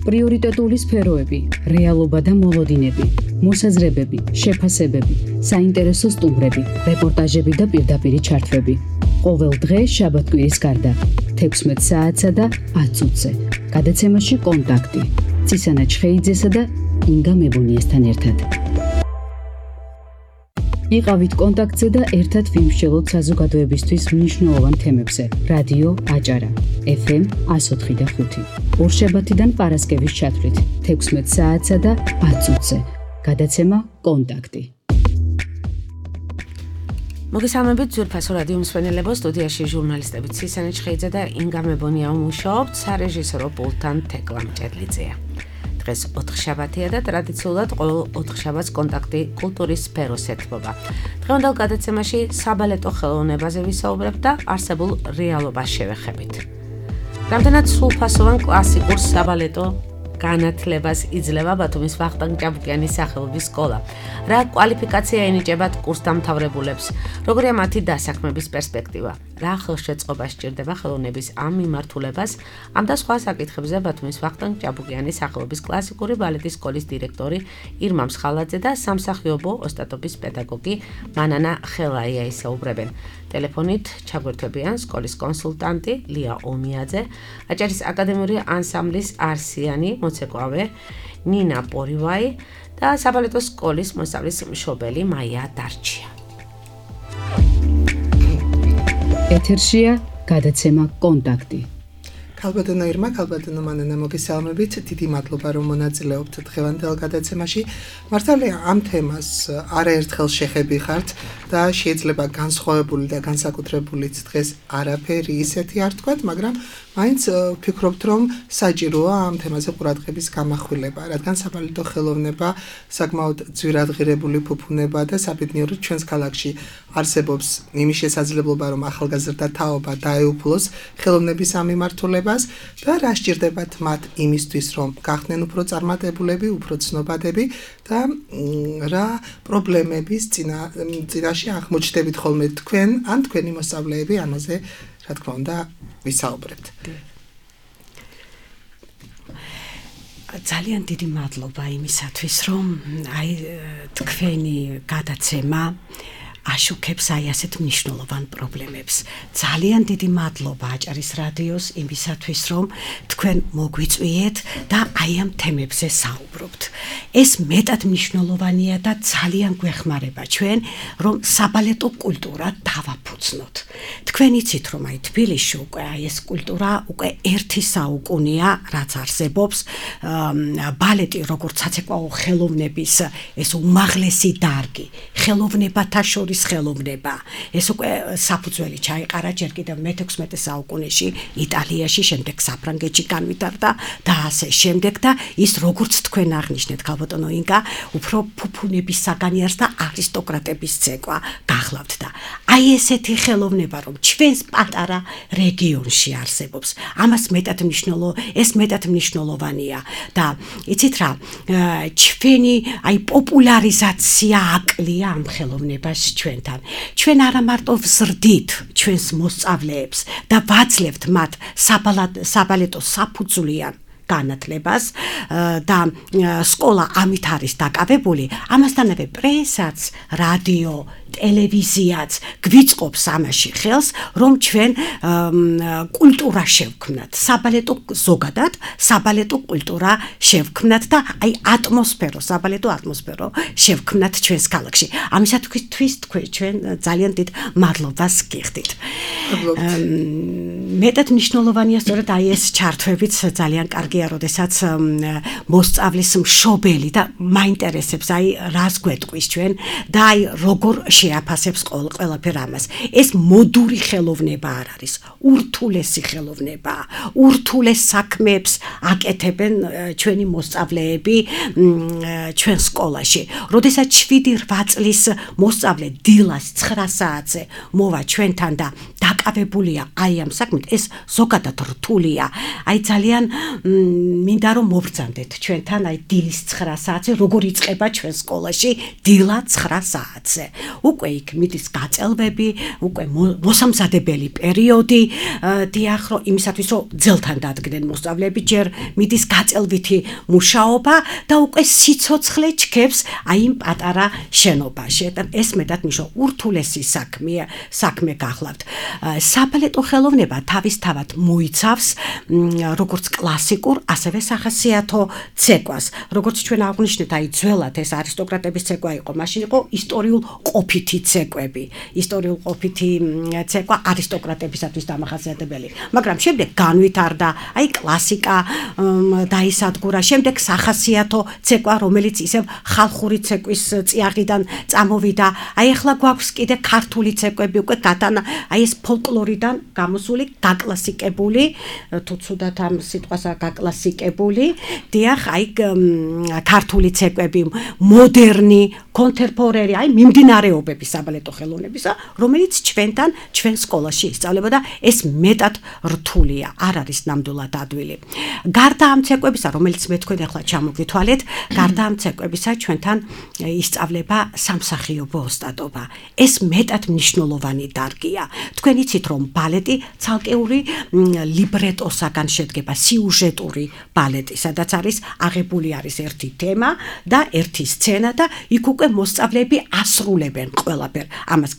პრიორიტეტული სფეროები, რეალობა და მოლოდინები, მოსაზრებები, შეფასებები, საინტერესო სტუმრები, რეპორტაჟები და პირდაპირი ჩართვები. ყოველ დღე შაბათ-კვირის გარდა 16 საათსა და 10 წუთზე. გადაცემაში კონტაქტი. ცისანა ჩხეიძესა და ინგა მებონიესთან ერთად. იყავით კონტაქტზე და ერთად ვიმსჯელოთ საზოგადოებისთვის მნიშვნელოვან თემებზე. რადიო აჭარა, FM 104.5. ორშაბათიდან პარასკევის ჩათვლით 16 საათსა და 10 წუთზე. გადაცემა კონტაქტი. მოგესალმებით ძვირფასო რადიო მსმენელებო, სტუდიაში ჟურნალისტები ცისანა ჩხეიძე და ინგა მებონია მუშაობთ, სარეჟისორო პულტთან თეკლა მჭედლიძეა. დღეს 4 შაბათია და ტრადიციულად ყოველ 4 შაბათს კონტაქტი კულტურის სფეროს ეთმობა. დღევანდელ გადაცემაში საბალეტო ხელოვნებაზე ვისაუბრებთ და არსებულ რეალობას შევეხებით. რამდენად სრულფასოვან კლასიკურ საბალეტო განათლებას იძლევა ბათუმის ვახტანგ ჭაბუკიანის სახელობის სკოლა. რა კვალიფიკაცია ენიჭებათ კურსდამთავრებულებს, როგორია მათი დასაქმების პერსპექტივა, რა ხელშეწყობა სჭირდება ხელოვნების ამ მიმართულებას, ამ და სხვა საკითხებზე ბათუმის ვახტანგ ჭაბუკიანის სახელობის კლასიკური ბალეტის სკოლის დირექტორი ირმა მსხალაძე და სამსახიობო ოსტატობის პედაგოგი მანანა ხელაია ისაუბრებენ. ტელეფონით ჩაგვერთვებიან სკოლის კონსულტანტი ლია ომიაძე, აჭარის აკადემიური ანსამბლის არსიანი მოცეკვავე ნინა პორივაი და საბალეტო სკოლის მოსწავლის მშობელი მაია დარჩია. ეთერშია გადაცემა კონტაქტი. ქალბატონო ირმა, ქალბატონო მანანა, მოგესალმებით. დიდი მადლობა რომ მონაწილეობთ დღევანდელ გადაცემაში. მართალია ამ თემას არაერთხელ შეხებიხართ და შეიძლება განსხვავებული და განსაკუთრებულიც დღეს არაფერი ისეთი არ თქვათ, მაგრამ მაინც ვფიქრობთ რომ საჭიროა ამ თემაზე ყურადღების გამახვილება, რადგან საბალეტო ხელოვნება საკმაოდ ძვირადღირებული ფუფუნება და საბედნიეროდ ჩვენს ქალაქში არსებობს იმის შესაძლებლობა რომ ახალგაზრდა თაობა დაეუფლოს ხელოვნების ამ მიმართულებას და რა სჭირდებათ მათ იმისთვის რომ გახდნენ უფრო წარმატებულები, უფრო ცნობადები და რა პრობლემების წინაშე აღმოჩნდებით ხოლმე თქვენ ან თქვენი მოსწავლეები ამაზე რა თქმა უნდა ვისაუბრებთ. ძალიან დიდი მადლობა იმისათვის რომ აი თქვენი გადაცემა აშუქებს აი ასეთ მნიშვნელოვან პრობლემებს. ძალიან დიდი მადლობა აჭარის რადიოს იმისათვის რომ თქვენ მოგვიწვიეთ და აი ამ თემებზე საუბრობთ. ეს მეტად მნიშვნელოვანია და ძალიან გვეხმარება ჩვენ რომ საბალეტო კულტურა დავაფუძნოთ. თქვენ იცით რომ აი თბილისში უკვე აი ეს კულტურა უკვე 1 საუკუნეა რაც არსებობს. ბალეტი როგორც საცეკვაო ხელოვნების ეს უმაღლესი დარგი, ხელოვნებათა შორის ხელოვნება. ეს უკვე საფუძველი ჩაიყარა ჯერ კიდევ მე-16 საუკუნეში იტალიაში, შემდეგ საფრანგეთში განვითარდა და ასე შემდეგ და ის როგორც თქვენ აღნიშნეთ ქალბატონო ინგა, უფრო ფუფუნების საგანი არის და არისტოკრატების ცეკვა გახლავთ და აი ესეთი ხელოვნება რომ ჩვენს პატარა რეგიონში არსებობს. ამას ეს მეტად მნიშვნელოვანია და იცით რა, ჩვენი აი პოპულარიზაცია აკლია ამ ხელოვნებას ჩვენთან. ჩვენ არა მარტო ვზრდით ჩვენს მოსწავლეებს და ვაძლევთ მათ საბალეტო საფუძვლიან განათლებას და სკოლა ამით არის დაკავებული, ამასთანავე პრესაც, რადიო, ტელევიზიაც გვიწყობს ამაში ხელს, რომ ჩვენ კულტურა შევქმნათ, ზოგადად საბალეტო კულტურა შევქმნათ და აი საბალეტო ატმოსფერო შევქმნათ ჩვენს ქალაქში. ამისათვის ჩვენ ძალიან დიდ მადლობას გიხდით. მეტად მნიშვნელოვანია სწორედ აი ეს ჩართვებიც ძალიან კარგია, როდესაც მოსწავლის მშობელი და მაინტერესებს აი რას გვეტყვის ჩვენ და აი როგორ შეაფასებს ყველაფერ ამას. ეს მოდური ხელოვნება არ არის, ურთულესი ხელოვნებაა. ურთულეს საქმეებს აკეთებენ ჩვენი მოსწავლეები ჩვენ სკოლაში. როდესაც 7-8 წლის მოსწავლე დილას 9 საათზე მოვა ჩვენთან და დაკავებულია აი ამ საქმით, ეს ზოგადად რთულია. აი ძალიან მინდა რომ მობრძანდეთ ჩვენთან აი დილის 9 საათზე, როგორ იწყება ჩვენ სკოლაში დილა 9 საათზე. უკვე იქ მიდის გაწელვები, უკვე მოსამზადებელი პერიოდი, დიახ, რომ იმისათვის რომ ძელთან დადგნენ მოსწავლეები, ჯერ მიდის გაწელვითი მუშაობა და უკვე სიცოცხლე ჩქებს აი იმ პატარა შენობაში. ეს მეტად ნიშნავს ურთულესი საქმე გახლავთ. საბალეტო ხელოვნება თავისთავად მოიცავს როგორც კლასიკურ, ასევე სახასიათო ცეკვას. როგორც ჩვენ აღვნიშნეთ, აი ძველად ეს არისტოკრატების ცეკვა იყო, მაშინ იყო ისტორიულ ყოფითი ცეკვები. ისტორიულ ყოფითი ცეკვა არისტოკრატებისათვის დამახასიათებელი. მაგრამ შემდეგ განვითარდა აი კლასიკა დაისადგურა, შემდეგ სახასიათო ცეკვა, რომელიც ისევ ხალხური ცეკვის წიაღიდან წამოვიდა. აი ახლა გვაქვს კიდე ქართული ცეკვები, უკვე გატანა აი ეს ფოლკლორიდან გამოსული, გაკლასიკებული, თუ ცუდად ამ სიტყვასა გაკლასიკებული, დიახ, აი ქართული ცეკვები, მოდერნი, კონტემპორერი, აი მიმდინარეობები საბალეტო ხელოვნებისა, რომელიც ჩვენ სკოლაში ისწავლებოდა, ეს მეტად რთულია, არ არის ნამდვილად ადვილი. გარდა ამ ცეკვებისა, რომელიც მე თქვენ ახლა ჩამოგვითვალეთ, გარდა ამ ცეკვებისა ჩვენთან ისწავლება სამსახიობო ოსტატობა. ეს მეტად მნიშვნელოვანი დარგია. თქვენ იცით, რომ ბალეტი ცალკეული ლიბრეტოსაგან შედგება, სიუჟეტური ბალეტი, სადაც არის აღებული არის ერთი თემა და ერთი სცენა და იქ უკვე მოსწავლეები ასრულებენ ყველაფერს. ამას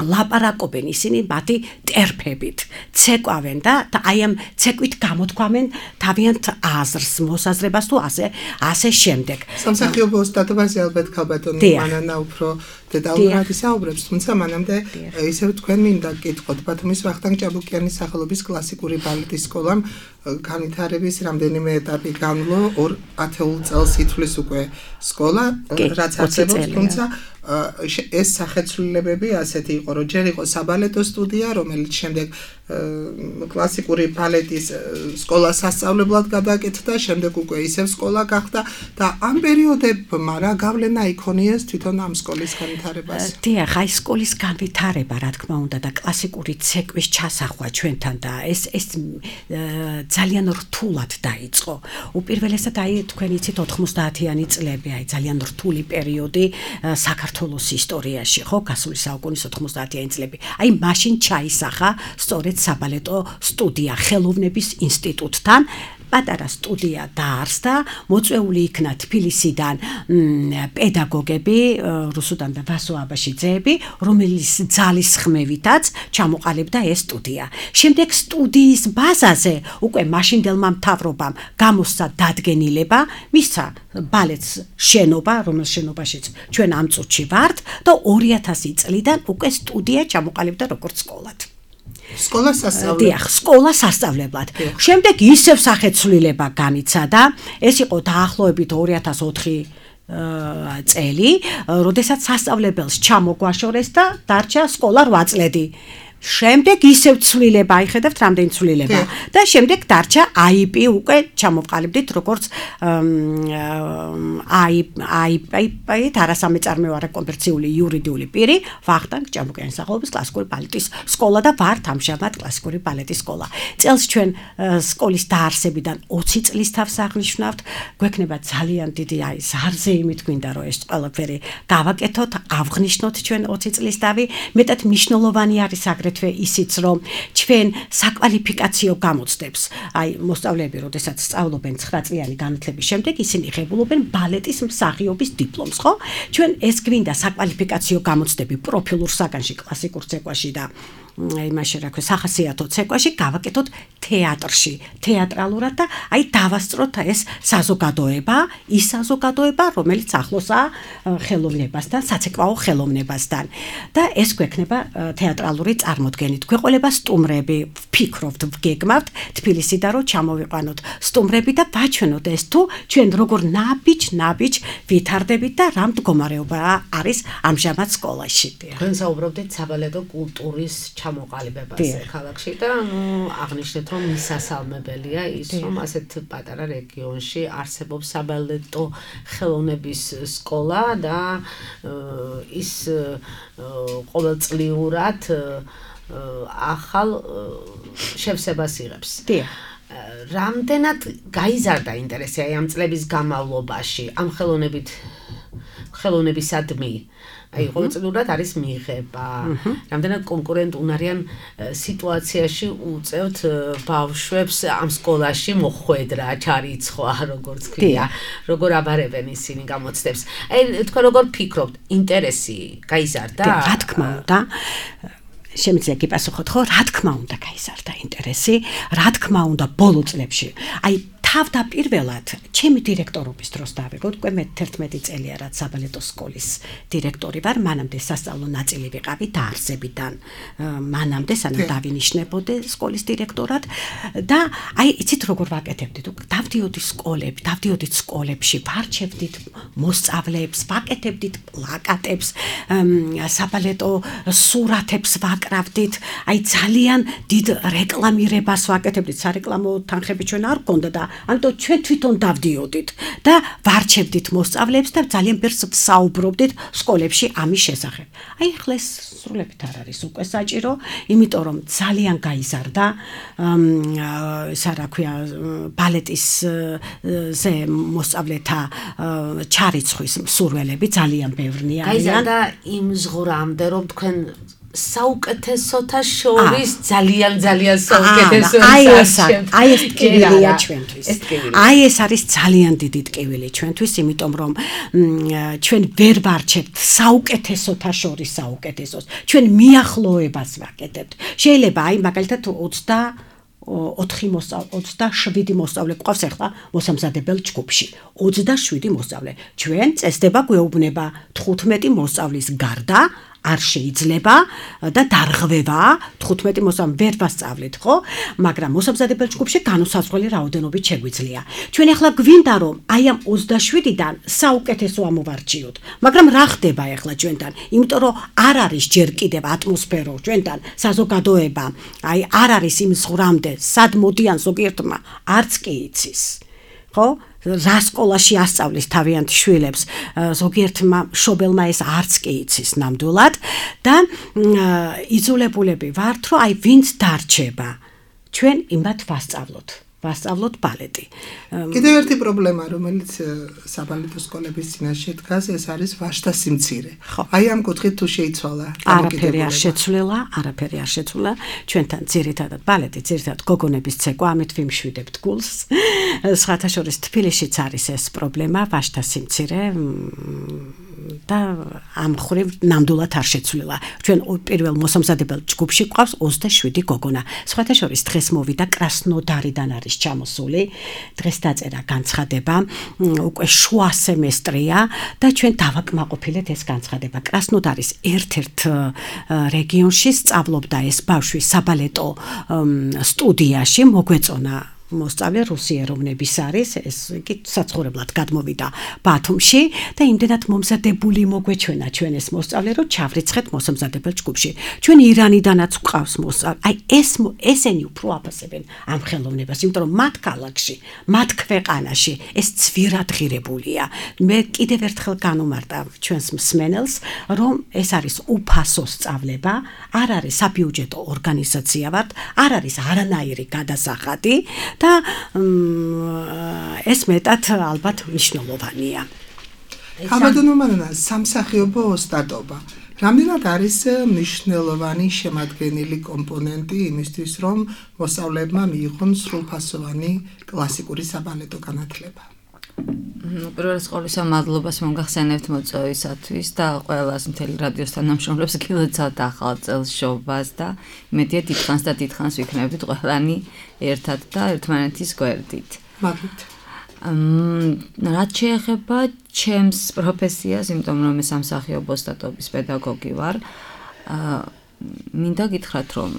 ლაპარაკობენ ისინი მათი ტერფებით, ცეკვავენ და აი ამ ცეკვით გამოთქვამენ თავიანთ აზრს, მოსაზრებას თუ ასე შემდეგ. სამსახიობო ოსტატობაზე ალბათ ქალბატონი მანანა უფრო დეტალურად ისაუბრებს, თუმცა მანამდე ისევ თქვენ მინდა გკითხოთ, ბათუმის ვახტანგ ჭაბუკიანის სახელობის კლასიკური ბალეტის სკოლამ განვითარების რამდენიმე ეტაპი განვლო, 2 ათეულ წელს ითვლის უკვე სკოლა, რაც არსებობს, თუმცა ეს სახეცვლილებები ასეთი იყო, რომ ჯერ იყო საბალეტო სტუდია, რომელიც შემდეგ კლასიკური ბალეტის სკოლას სასწავლებლად გადააკეთდა, შემდეგ უკვე ისევ სკოლა გახდა და ამ პერიოდებმა რა გავლენა იქონიეს თვითონ ამ სკოლის განვითარებას? დიახ, აი სკოლის განვითარება, რა თქმა უნდა, და კლასიკური ცეკვის ჩასახვა ჩვენთან და ეს ძალიან რთულად დაიწყო. უპირველესად აი თქვენ იცით 90-იანი წლები, აი ძალიან რთული პერიოდი საქართველოს ისტორიაში, ხო, გასული საუკუნის 90-იანი წლები. აი მაშინ ჩაისახა სწორედ საბალეტო სტუდია ხელოვნების ინსტიტუტთან. პატარა სტუდია დაარსდა, მოწვეული იქნა თბილისიდან პედაგოგები, რუსუდან და ვასო აბაშიძეები, რომელიც ძალის ხმევითაც ჩამოყალიბდა ეს სტუდია. შემდეგ სტუდიის ბაზაზე უკვე მაშინდელმა მთავრობამ გამოსცა დადგენილება, მისცა ბალეტს შენობა, რომელ შენობაშიც ჩვენ ამ წუთში ვართ და 2000 წლიდან უკვე სტუდია ჩამოყალიბდა როგორც სკოლად. სკოლა სასწავლებლად. დიახ, სკოლა სასწავლებლად. შემდეგ ისევ სახეცვლილება განიცადა. ეს იყო დაახლოებით 2004 წელი, როდესაც სასწავლებელს ჩამოგვაშორეს და დარჩა სკოლა 8 წლები. შემდეგ ისევ ცვლილება, აიხედავთ რამდენი ცვლილება და შემდეგ დარჩა IP უკვე ჩამოვყალიბდით როგორც IP არასამეწარმეო არაკომერციული იურიდიული პირი, ვახტანგ ჭაბუკიანის სახელობის კლასიკური ბალეტის სკოლა და ვართ ამჟამად კლასიკური ბალეტის სკოლა. წელს ჩვენ სკოლის დაარსებიდან 20 წლის თავს აღნიშნავთ, გვექნება ძალიან დიდი ზარზეიმით გვინდა რომ ეს ყველაფერი გავაკეთოთ, ავღნიშნოთ ჩვენ 20 წლის დავი, მეტად მნიშვნელოვანი არის აგრეთვე ისიც რომ ჩვენ საკვალიფიკაციო გამოცდებს, აი მოსწავლეები, როდესაც სწავლობენ 9 წლიანი განათლების შემდეგ, ისინი ღებულობენ ბალეტის მსახიობის დიპლომს, ხო? ჩვენ ეს გვინდა საკვალიფიკაციო გამოცდები პროფილურ საგანში, კლასიკურ ცეკვაში და იმაში რა ქვია, სახასიათო ცეკვაში გავაკეთოთ თეატრში, თეატრალურად და აი დავასწროთ ეს საზოგადოება, ის საზოგადოება, რომელიც ახლოსაა ხელოვნებასთან, საცეკვაო ხელოვნებასთან და ეს გვექნება თეატრალური წარმოდგენით. გვეყოლება სტუმრები, ვფიქრობთ, ვგეგმავთ თბილისიდან რომ ჩამოვიყვანოთ სტუმრები და ვაჩვენოთ ეს თუ ჩვენ როგორ ნაბიჯ ვითარდებით და რა მდგომარეობა არის ამჟამად სკოლაში. თქვენ საუბრობდით საბალეტო კულტურის ჩამოყალიბებაზე ქალაქში და აღნიშნეთ რომ მისასალმებელია ის რომ ასეთ პატარა რეგიონში არსებობს საბალეტო ხელოვნების სკოლა და ის ყოველწლიურად ახალ შევსებას იღებს. რამდენად გაიზარდა ინტერესი აი ამ წლების განმავლობაში ამ ხელოვნებით ხელოვნებისადმი. აი, ყოველწლიურად არის მიღება. რამდენად კონკურენტუნარიან სიტუაციაში უწევთ ბავშვებს ამ სკოლაში მოხვედრა, ჩარიცხვა, როგორც ქვია, როგორ აბარებენ ისინი გამოცდებს. აი, თქვენ როგორ ფიქრობთ, ინტერესი გაიზარდა? რა თქმა უნდა. შემიძლია გიპასუხოთ, ხო? რა თქმა უნდა გაიზარდა ინტერესი, რა თქმა უნდა ბოლო წლებში. აი თავდაპირველად ჩემი დირექტორობის დროს დავიღოთ, უკვე მე 11 წელია რაც საბალეტო სკოლის დირექტორი ვარ, მანამდე სასწავლო ნაწილი ვიყავი დაარსებიდან, მანამდე სანამ დავინიშნებოდე სკოლის დირექტორად და აი იცით როგორ ვაკეთებდით, დავდიოდით სკოლებში, ვარჩევდით მოსწავლეებს, ვაკეთებდით პლაკატებს, საბალეტო სურათებს ვაკრავდით, აი ძალიან დიდ რეკლამირებას ვაკეთებდით, სარეკლამო თანხები ჩვენ არ გქონდა და ამიტომ ჩვენ თვითონ დავდიოდით და ვარჩევდით მოსწავლეებს და ძალიან ბევრს ვსაუბრობდით სკოლებში ამის შესახებ. აი ახლა ეს სრულებით არ არის უკვე საჭირო, იმიტომ რომ ძალიან გაიზარდა ბალეტის ზე მოსწავლეთა ჩარიცხვის მსურველები ძალიან ბევრნი არიან. გაიზარდა იმ ზღვრამდე რომ თქვენ საუკეთესოთა შორის ძალიან საუკეთესო აი ეს ტკივილია ჩვენთვის. აი ეს არის ძალიან დიდი ტკივილი ჩვენთვის, იმიტომ რომ ჩვენ ვერ ვარჩევთ საუკეთესოთა შორის საუკეთესოს. ჩვენ მიახლოებას ვაკეთებთ. შეიძლება აი მაგალითად 27 მოსწავლე გვყავს ახლა მოსამზადებელ ჯგუფში. 27 მოსწავლე. ჩვენ წესდება გვეუბნება 15 მოსწავლის გარდა არ შეიძლება და დარღვევა 15 მოსწავლე ვერ ვასწავლეთ, ხო? მაგრამ მოსამზადებელ ჯგუფში განუსაზღვრელი რაოდენობით შეგვიძლია. ჩვენ ახლა გვინდა რომ აი ამ 27-დან საუკეთესო ამოვარჩიოთ. მაგრამ რა ხდება ახლა ჩვენთან? იმიტომ რომ არ არის ჯერ კიდევ ატმოსფერო ჩვენთან, საზოგადოება, აი არ არის იმ ზღვრამდე, სად მოდიან ზოგიერთმა არც კი იცის. ხო? რა სკოლაში ასწავლის თავიანთ შვილებს, ზოგიერთმა მშობელმა ეს არც კი იცის ნამდვილად და იძულებულები ვართ, რომ აი ვინც დარჩება, ჩვენ იმათ ვასწავლოთ ბალეტი. კიდევ ერთი პრობლემა, რომელიც საბალეტო სკოლების წინაშე დგას, ეს არის ვაჟთა სიმცირე. აი ამ კუთხით თუ შეიცვალა არაფერი არ შეცვლილა, ჩვენთან ძირითადად ბალეტი, ძირითადად გოგონების ცეკვა, ამით ვიმშვიდებთ გულს. სხვათა შორის თბილისშიც არის ეს პრობლემა, ვაჟთა სიმცირე და ამ ხრივ ნამდვილად არ შეცვლილა. ჩვენ პირველ მოსამზადებელ ჯგუფში გვყავს 27 გოგონა. სხვათა შორის დღეს მოვიდა კრასნოდარიდან არის ჩამოსული. დღეს დაწერა განცხადება, უკვე შუა სემესტრია და ჩვენ დავაკმაყოფილეთ ეს განცხადება. კრასნოდარის ერთ-ერთ რეგიონში სწავლობდა ეს ბავშვი საბალეტო სტუდიაში, მოგვეწონა მოსწავლე რუსი ეროვნების არის, ეს კი საცხოვრებლად გადმოვიდა ბათუმში და იმდენად მომზადებული მოგვეჩვენა ჩვენ ეს მოსწავლე, რომ ჩავრიცხეთ მოსამზადებელ ჯგუფში. ჩვენ ირანიდანაც გვყავს მოსწავლე. აი ესენი უფრო აფასებენ ამ ხელოვნებას, იმიტომ რომ მათ ქალაქში, მათ ქვეყანაში ეს ცვირადღირებულია. მე კიდევ ერთხელ განუმარტა ჩვენს მსმენელს, რომ ეს არის უფასო სწავლება, არ არის საბიუჯეტო ორგანიზაცია ვართ, არ არის არანაირი გადასახადი და ეს მეტად ალბათ მნიშვნელოვანია. ხაბადონომანა სამსახიობო ოსტატობა. რამდენად არის მნიშვნელოვანი შემადგენელი კომპონენტი იმისთვის, რომ მოსწავლეებმა მიიღონ სრულფასოვანი კლასიკური საბალეტო განათლება? პირველ სკოლისა მადლობას მოგახსენებთ მოწვევისათვის და ყველას მთელი რადიოს თანამშრომლებს გილოცავთ ახალ წელს შობას და იმედია დიდხანს ვიქნებით ყველანი ერთად და ერთმანეთის გვერდით. მადლობთ. რაც შეეხება ჩემს პროფესიას, იმიტომ რომ მე სამსახიობო ოსტატობის პედაგოგი ვარ, მინდა გითხრათ, რომ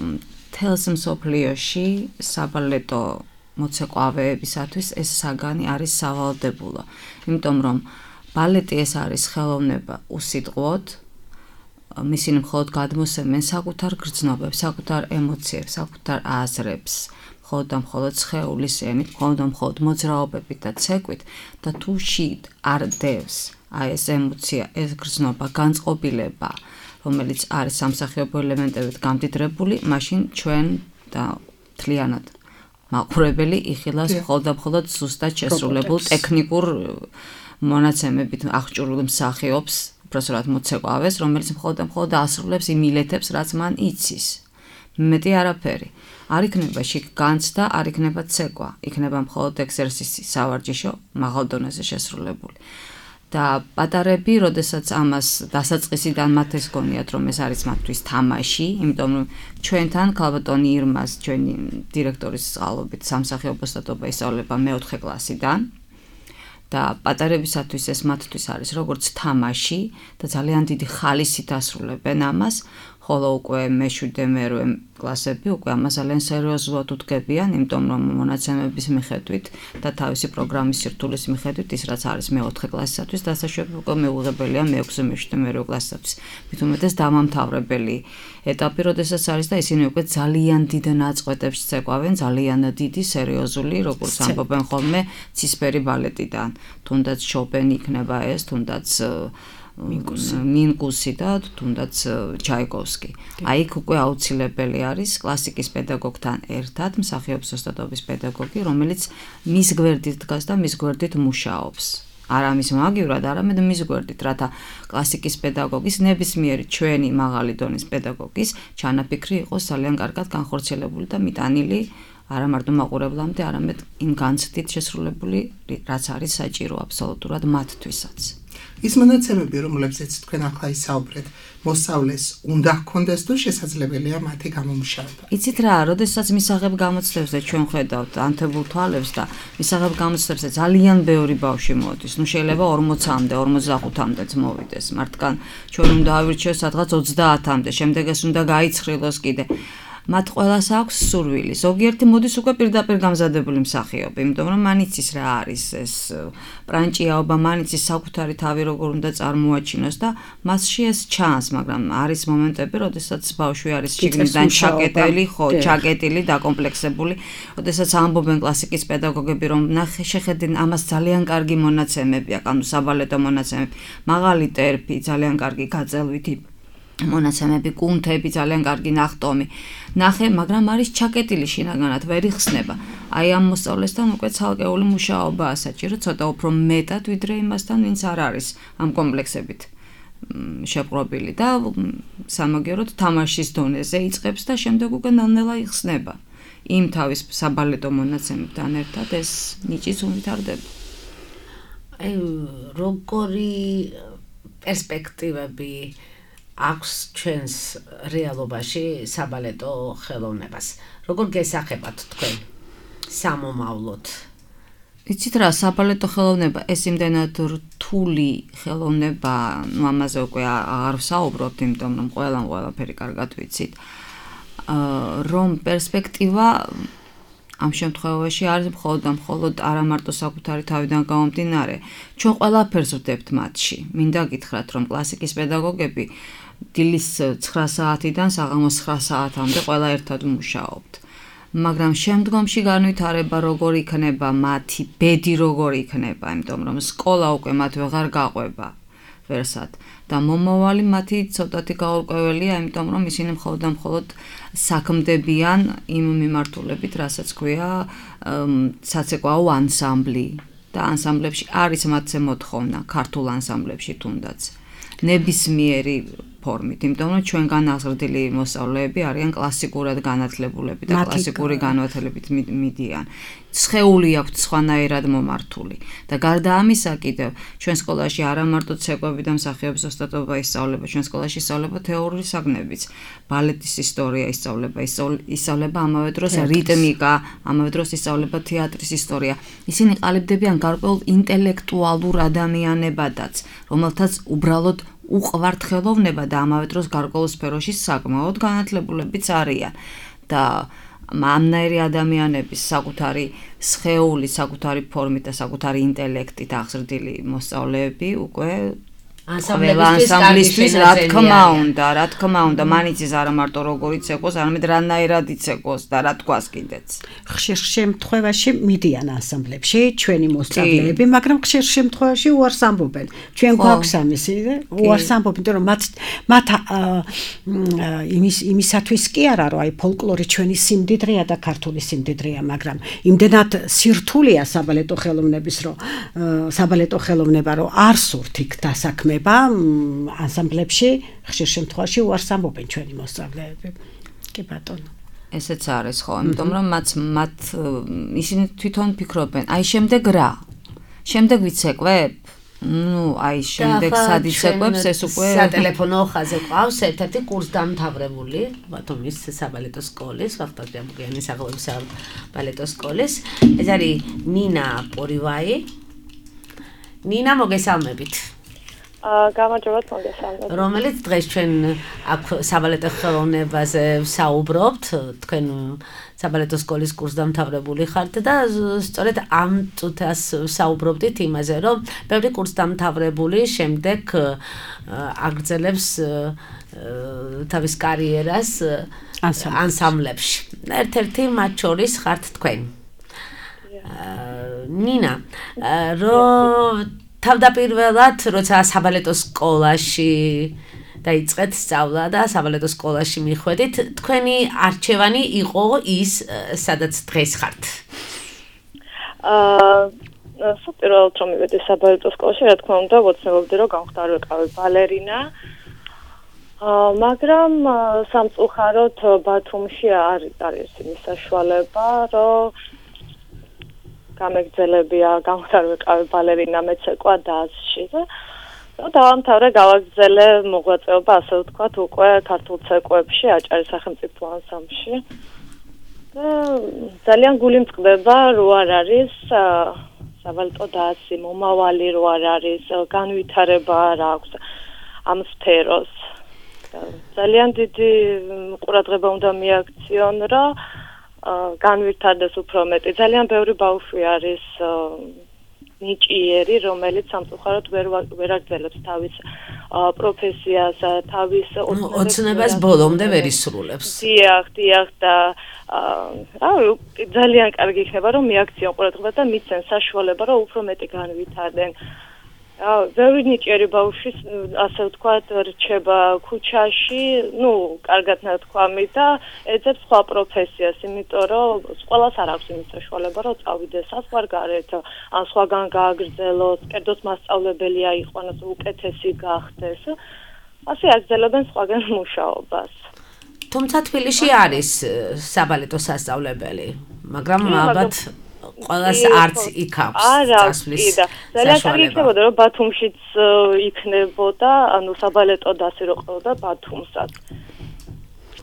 თელს მსოფლიოში საბალეტო მოცეკვავეებისათვის ეს საგანი არის სავალდებულო. იმიტომ რომ ბალეტი ეს არის ხელოვნება უსიტყვოდ, მისინი მხოლოდ გადმოსცემენ საკუთარ გრძნობებს, საკუთარ ემოციებს, საკუთარ აზრებს, მხოლოდ სხეულის ენით, მხოლოდ მოძრაობებით და ცეკვით და თუ შიგ არ დევს აი ეს ემოცია, ეს გრძნობა, განწყობილება, რომელიც არის სამსახიობო ელემენტებით გამდიდრებული, მაშინ ჩვენ და მთლიანად მაყურებელი იხილავს მხოლოდ ზუსტად შესრულებულ ტექნიკურ მონაცემებით აღჭურვილ მსახიობს, უბრალოდ მოცეკვავეს, რომელიც მხოლოდ ასრულებს იმ მილეთებს, რაც მან იცის. მეტი არაფერი. არ იქნება შიგ განცდა, არ იქნება ცეკვა, იქნება მხოლოდ ექსერსისი, სავარჯიშო, მაღალ დონეზე შესრულებული. და პატარები, როდესაც ამას დასაწყისიდან მათ ეს გონიათ, რომ ეს არის მათთვის თამაში, იმიტომ რომ ჩვენთან ქალბატონი ირმას, ჩვენი დირექტორის წყალობით სამსახიობო სტატობა ისწავლება მე-4 კლასიდან. და პატარებისათვის ეს მათთვის არის როგორც თამაში და ძალიან დიდი ხალისით ასრულებენ ამას, ხოლო უკვე მე-7 მე-8 კლასები უკვე ამას ძალიან სერიოზულად უდგებიან, იმიტომ რომ მონაცემების მიხედვით და თავისი პროგრამის სირთულის მიხედვით ის რაც არის მე-4 კლასისათვის დასაშვები უკვე მეუღებელია მე-6 მე-7 მე-8 კლასისათვის. მით უმეტეს დამამთავრებელი ეტაპი, როდესაც არის და ისინი უკვე ძალიან დიდ ნაწყვეტებს ცეკვავენ, ძალიან დიდი სერიოზული, როგორც ამბობენ ხოლმე, ცისფერი ბალეტიდან. თუნდაც შოპენი იქნება ეს, თუნდაც მინკუსი და თუნდაც ჩაიკოვსკი. აი იქ უკვე აუცილებელი არის კლასიკის პედაგოგთან ერთად მსახიობს ოსტატობის პედაგოგი, რომელიც მის გვერდით დგას და მის გვერდით მუშაობს. არა მის მაგივრად, არამედ მის გვერდით, რათა კლასიკის პედაგოგის ნებისმიერი ჩვენი მაღალი დონის პედაგოგის ჩანაფიქრი იყოს ძალიან კარგად განხორციელებული და მიტანილი არა მარტო მაყურებლამდე, არამედ იმ განცდით შესრულებული, რაც არის საჭირო აბსოლუტურად მათთვისაც. ის მონაცემები, რომლებზეც თქვენ ახლა ისაუბრეთ, მოსწავლეს უნდა ჰქონდეს თუ შესაძლებელია მათი გამომუშავება. იცით რა, როდესაც მისაღებ გამოცდებზე ჩვენ ხედავთ ანთებულ თვალებს და მისაღებ გამოცდებზე ძალიან ბევრი ბავშვი მოდის. ნუ შეიძლება 40-მდე, 45-მდეც მოვიდეს. მართკან ჩვენ უნდა ავირჩიოს სადღაც 30-მდე, შემდეგ ეს უნდა გაიცხრილოს კიდე. მათ ყველას აქვს სურვილი. ზოგიერთი მოდის უკვე პირდაპირ გამზადებული მსახიობი, იმიტომ რომ მან იცის რა არის ეს პრანჭიაობა, მან იცის საკუთარი თავი როგორ უნდა წარმოაჩინოს და მასში ეს ჩანს, მაგრამ არის მომენტები, როდესაც ბავშვი არის შიგნიდან ჩაკეტილი, ჩაკეტილი, დაკომპლექსებული, როდესაც ამბობენ კლასიკის პედაგოგები, რომ ნახე, შეხედენ, ამას ძალიან კარგი მონაცემები აქვს, ანუ საბალეტო მონაცემები, მაღალი ტერფი, ძალიან კარგი გაწელვითი მონაცემები, კუნთები, ძალიან კარგი ნახტომი. ნახე, მაგრამ არის ჩაკეტილი შინაგანად, ვერ იხსნება. აი ამ მოსწავლესთან უკვე ცალკეული მუშაობაა საჭირო, ცოტა უფრო მეტად, ვიდრე იმასთან, ვინც არ არის ამ კომპლექსებით შეპყრობილი და სამაგიეროდ თამაშის დონეზე იწყებს და შემდეგ უკვე ნელ-ნელა იხსნება. იმ თავის საბალეტო მონაცემებთან ერთად ეს ნიჭიც უვითარდება. აი როგორი პერსპექტივები აქვს ჩვენს რეალობაში საბალეტო ხელოვნებას. როგორ გესახებათ თქვენ სამომავლოდ? იცით რა, საბალეტო ხელოვნება ეს იმდენად რთული ხელოვნება, ნუ ამაზე უკვე აღარ ვსაუბრობთ, იმიტომ რომ ყველაფერი კარგად ვიცით. რომ პერსპექტივა ამ შემთხვევაში არის მხოლოდ არა მარტო საკუთარი თავიდან გამომდინარე. ჩვენ ყველაფერს ვდებთ მათში. მინდა გითხრათ, რომ კლასიკის პედაგოგები დილის 9 საათიდან საღამოს 9 საათამდე ყველა ერთად მუშაობთ. მაგრამ შემდგომში განვითარება როგორ იქნება მათი, ბედი როგორ იქნება, იმიტომ რომ სკოლა უკვე მათ ვეღარ გაყვება ვერსად და მომავალი მათი ცოტათი გაურკვეველია, იმიტომ რომ ისინი მხოლოდ საქმდებიან იმ მიმართულებით, რასაც ქვია საცეკვაო ანსამბლი და ანსამბლებში არის მათზე მოთხოვნა, ქართულ ანსამბლებში თუნდაც ნებისმიერი ფორმით, იმიტომ რომ ჩვენგან აღზრდილი მოსწავლეები არიან კლასიკურად განათლებულები და კლასიკური განათლებით მიდიან. სხეული აქვთ სხვანაირად მომართული და გარდა ამისა კიდევ ჩვენ სკოლაში არა მარტო ცეკვები და მსახიობის ოსტატობა ისწავლება, ჩვენ სკოლაში ისწავლება თეორიული საგნებიც, ბალეტის ისტორია ისწავლება ამავე დროს რიტმიკა, ამავე დროს ისწავლება თეატრის ისტორია. ისინი ყალიბდებიან გარკვეულ ინტელექტუალურ ადამიანებადაც, რომელთაც უბრალოდ უყვართ ხელოვნება და ამავე დროს გარკვეულ სფეროში საკმაოდ განათლებულებიც არიან და ამნაირი ადამიანების საკუთარი სხეული, საკუთარი ფორმით და საკუთარი ინტელექტით აღზრდილი მოსწავლეები უკვე ანსამბლისთვის რა თქმა უნდა, მანიც ის არა მარტო როგორიც ეკოს, არამედ რანაირად იცეკოს და რა თქვას კიდეც. ხშირ შემთხვევაში მიდიან ანსამბლებში ჩვენი მოსწავლეები, მაგრამ ხშირ შემთხვევაში უარს ამბობენ. ჩვენ გვაქვს ამისი, უარს ამბობენ, იმიტომ რომ მათ იმისათვის კი არა, რომ აი ფოლკლორი ჩვენი სიმდიდრეა და ქართული სიმდიდრეა, მაგრამ იმდენად სირთულეა საბალეტო ხელოვნება, რომ არ სურთ იქ დასაქმება ანსამბლებში, ხშირ შემთხვევაში უარს ამბობენ ჩვენი მოსწავლეები. კი ბატონო. ესეც არის ხო, იმიტომ რომ მათ ისინი თვითონ ფიქრობენ, აი შემდეგ რა? შემდეგ ვიცეკვებ? აი შემდეგ სად იცეკვებს ეს უკვე სატელეფონო ხაზზე ყავს ერთ-ერთი კურსდამთავრებული ბათუმის საბალეტო სკოლის, ვახტანგ ჭაბუკიანის სახელობის საბალეტო სკოლის. ეს არის ნინა პორივაი. ნინა, მოგესალმებით. გამარჯობათ, მოგესალმებით. რომელიც დღეს ჩვენ აქ საბალეტო ხელოვნებაზე ვსაუბრობთ, თქვენ საბალეტო სკოლის კურსდამთავრებული ხართ და სწორედ ამ წუთას ვსაუბრობდით იმაზე, რომ ბევრი კურსდამთავრებული შემდეგ აგრძელებს თავის კარიერას ანსამბლებში. ერთ-ერთი მათ შორის ხართ თქვენ. ნინა, თავდაპირველად, როცა საბალეტო სკოლაში დაიწყეთ სწავლა და საბალეტო სკოლაში მიხვედით, თქვენი არჩევანი იყო ის, სადაც დღეს ხართ. საპირველად რომ მივედი საბალეტო სკოლაში, რა თქმა უნდა, ვოცნებობდი, რომ გამხდარიყავი ბალერინა. მაგრამ სამწუხაროდ ბათუმში არ არის იმის საშუალება, რომ გამეგრძელებია გამხდარიყავი ბალერინა მეცეკვა დასში და დავამთავრე გავაგრძელე მოღვაწეობა, ასე ვთქვათ, უკვე ქართულ ცეკვებში, აჭარის სახელმწიფო ანსამბლში. და ძალიან გული მწყდება, რო არ არის საბალეტო დასი, მომავალი რო არ არის, განვითარება არ აქვს ამ სფეროს. ძალიან დიდი ყურადღება უნდა მიაქციონ, რომ განვითარდეს უფრო მეტი. ძალიან ბევრი ბავშვი არის ნიჭიერი, რომელიც სამწუხაროდ ვერ აგრძელებს თავის პროფესიას, თავის ოცნებას ბოლომდე ვერ ისრულებს. დიახ და ძალიან კარგი იქნება, რომ მიაქციონ ყურადღება და მიცენ საშუალება, რომ უფრო მეტი განვითარდნენ. ბევრი ნიჭიერი ბავშვი, ასე ვთქვათ, რჩება ქუჩაში, კარგად ნათქვამი და ეძებს სხვა პროფესიას, იმიტომ რომ ყველას არ აქვს იმის საშუალება, რომ წავიდეს საზღვარგარეთ, ან სხვაგან გააგრძელოს, კერძოდ მასწავლებელი აიყვანოს, უკეთესი გახდეს. ასე აგრძელებენ სხვაგან მუშაობას. თუმცა თბილისში არის საბალეტო სასწავლებელი, მაგრამ ალბათ ყველას არც იქ აქვს წასვლის ძალიან კარგი იქნებოდა, რომ ბათუმშიც იქნებოდა, საბალეტო დასი რო ყავდა ბათუმსაც.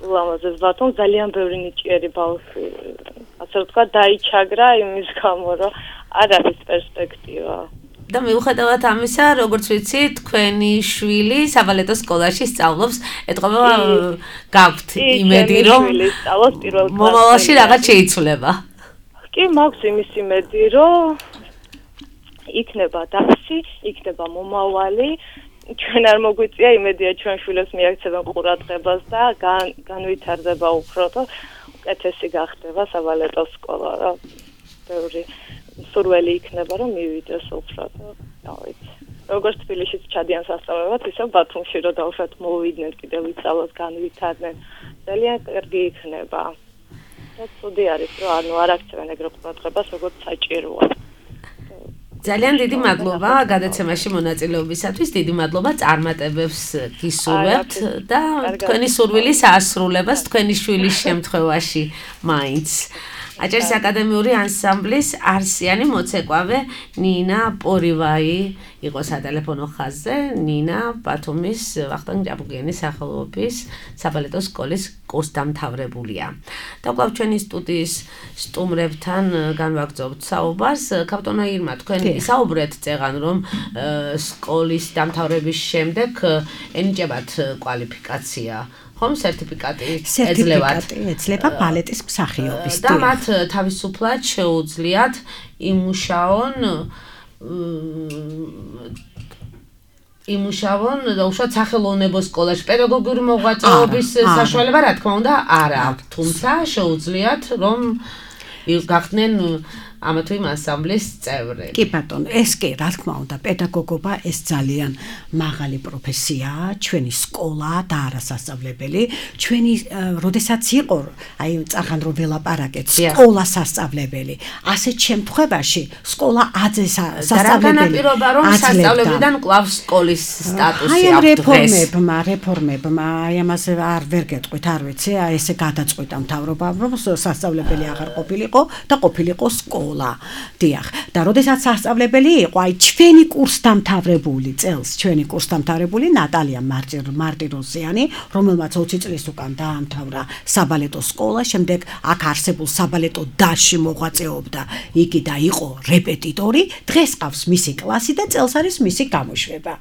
ულამაზეს ბათუმს ძალიან ბევრი ნიჭიერი ბავშვი, ასე ვთქვათ, დაიჩაგრა იმის გამო, რომ არ არის პერსპექტივა. და მიუხედავად ამისა, როგორც ვიცი, თქვენი შვილი საბალეტო სკოლაში სწავლობს, ეთყობა გაქვთ იმედი, რომ მომავალში რაღაც შეიცვლება. კი, მაქვს იმის იმედი, რომ იქნება დასი, იქნება მომავალი. ჩვენ არ მოგვიწია იმედია, ჩვენ შვილებს მიაქცევენ ყურადღებას და განვითარდება უფრო და უკეთესი გახდება საბალეტო სკოლა, რა. ბევრი სურველი იქნება, რომ მივიდეს უფრო და ვიცი. როგორც თბილისშიც ჩადიან სასწავლებად, ისე ბათუმში რომ დავუშვათ მოვიდნენ კიდევ ვისწავლოს, განვითარდნენ. ძალიან კარგი იქნება. ცუდი არის, რომ არ აქცევენ ეგრე ყურადღებას, როგორც საჭიროა. ძალიან დიდი მადლობა გადაცემაში მონაწილეობისათვის, დიდი მადლობა წარმატებებს გისურვებთ და თქვენი სურვილის ასრულებას თქვენი შვილის შემთხვევაში მაინც. აჭარის აკადემიური ანსამბლის არსიანი მოცეკვავე ნინა პორივაი იყო სატელეფონო ხაზზე. ნინა ბათუმის ვახტანგ ჭაბუკიანის სახელობის საბალეტო სკოლის კურსდამთავრებულია. და კვლავ ჩვენი სტუდიის სტუმრებთან განვაგრძობთ საუბარს. კაპიტანო ირმა, თქვენ ისაუბრეთ წეგან, რომ სკოლის დამთავრების შემდეგ ენიჭებათ კვალიფიკაცია. ხომ სერტიფიკატი ეძლება ბალეტის მსახიობის და მათ თავისუფლად შეუძლიათ იმუშაონ იმუშავონ და უშუალოდ სახელოვნებო სკოლაში პედაგოგიური მოღვაწეობის საშუალება რა თქმა უნდა არ აქვს, თუმცა შეუძლიათ რომ გახდნენ ამა თუ იმ ანსამბლის წევრი. კი ბატონო, ეს კი რა თქმა უნდა, პედაგოგობა ეს ძალიან მაღალი პროფესიაა, ჩვენი სკოლა და არასასწავლებელი, ჩვენი როდესაც იყო, აი წახან რომ ველაპარაკეთ, სკოლა სასწავლებელი, ასეთ შემთხვევაში სკოლა აძე სასწავლებელი. განაპირობა რომ სასწავლებლიდან კვლავ სკოლის სტატუსი აქვს დღეს. რეფორმებმა, აი ამაზე ვერ გეტყვით, არ ვიცი, აი ესე გადაწყვიტა მთავრობამ, რომ სასწავლებელი აღარ ყოფილიყო და ყოფილიყო სკოლა. დიახ, და როდესაც სასწავლებელი იყო, აი ჩვენი კურსდამთავრებული წელს, ჩვენი კურსდამთავრებული ნატალია მარტიროსიანი, რომელმაც 20 წლის უკან დაამთავრა საბალეტო სკოლა, შემდეგ აქ არსებულ საბალეტო დასში მოღვაწეობდა იგი და იყო რეპეტიტორი, დღეს ყავს მისი კლასი და წელს არის მისი გამოშვება.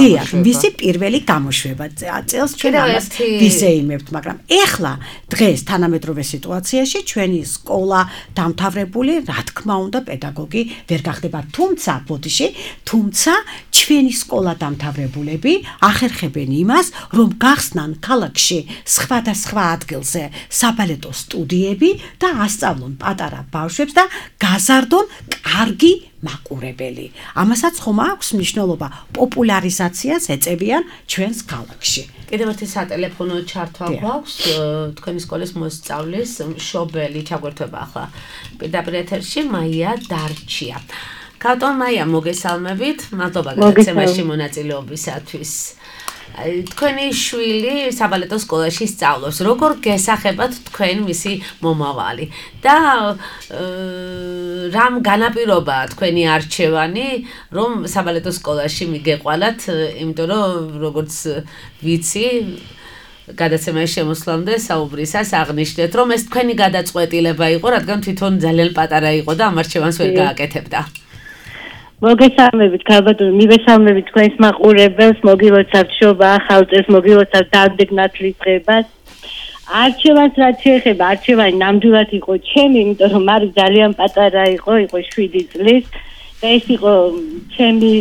დიახ, მისი პირველი გამოშვება. წელს ჩვენ ამას ვიზეიმებთ, მაგრამ ეხლა დღეს თანამედროვე სიტუაციაში ჩვენი სკოლა დამთავრებული რა თქმა უნდა პედაგოგი ვერ გახდება, თუმცა ჩვენი სკოლა დამთავრებულები ახერხებენ იმას, რომ გახსნან ქალაქში სხვადასხვა ადგილზე საბალეტო სტუდიები და ასწავლონ პატარა ბავშვებს და გაზარდონ კარგი მაყურებელი. ამასაც ხომ აქვს მნიშვნელობა, პოპულარიზაციას ეწევიან ჩვენს ქალაქში. კიდევ ერთი სატელეფონო ჩართვა გვაქვს თქვენი სკოლის მოსწავლის მშობელი ჩაგვერთვება ახლა პირდაპირ ეთერში მაია დარჩია. კატონ მაია, მოგესალმებით, მადლობა გადაცემაში მონაწილეობისათვის. თქვენი შვილი საბალეტო სკოლაში სწავლობს. როგორ გესახებათ თქვენ მისი მომავალი და რამ განაპირობა თქვენი არჩევანი, რომ საბალეტო სკოლაში მიგეყვალათ, იმიტომ რომ როგორც ვიცი, გადაცემაში შემოსვლამდე საუბრისას აღნიშნეთ, რომ ეს თქვენი გადაწყვეტილება იყო, რადგან თვითონ ძალიან პატარა იყო და ამ არჩევანს ვერ გააკეთებდა. მოგესალმებით, ქალბატონო, მივესალმებით თქვენს მაყურებელს, მოგილოცავთ შობა, ახალწელს, მოგილოცავთ დავდეგნათლის დღებას. არჩევანს რაც შეეხება, არჩევანი ნამდვილად იყო ჩემი, იმიტომ რომ მარი ძალიან პატარა იყო 7 წლის და ეს იყო ჩემი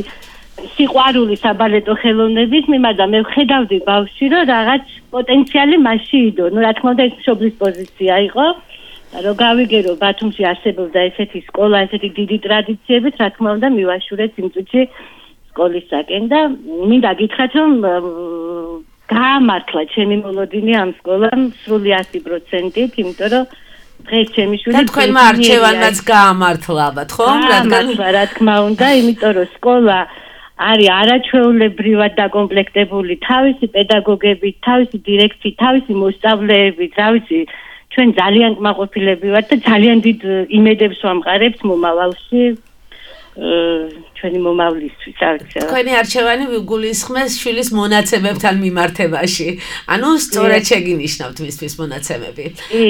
სიყვარული საბალეტო ხელოვნების მიმართ და მე ვხედავდი ბავშვი, რომ რაღაც პოტენციალი მასში იდო. ნუ რა თქმა უნდა, ეს მშობლის პოზიცია იყო. რომ გავიგერო ბათუმში არსებობდა ესეთი სკოლა, ესეთი დიდი ტრადიციებით, რა თქმა უნდა მივაშურეთ იმ წუთში სკოლისაკენ და მინდა გითხრათ, რომ გაამართლა ჩემი მოლოდინი ამ სკოლამ სრული 100%-ით, იმიტომ რომ დღეს ჩემი შვილი და თქვენმა არჩევანაც გაამართლა, ალბათ, ხო? რა თქმა უნდა, იმიტომ რომ სკოლა არის არაჩვეულებრივად დაკომპლექტებული თავისი პედაგოგებით, თავისი დირექციით, თავისი მოსწავლეებით, რა ვიცი, ჩვენ ძალიან კმაყოფილები ვართ და ძალიან დიდ იმედებს ვამყარებთ მომავალში ჩვენი მომავლისთვის, არ ვიცი. თქვენი არჩევანი გულისხმეს შვილის მონაცემებთან მიმართებაში. ანუ სწორად შეგინიშნავთ მისთვის მონაცემები.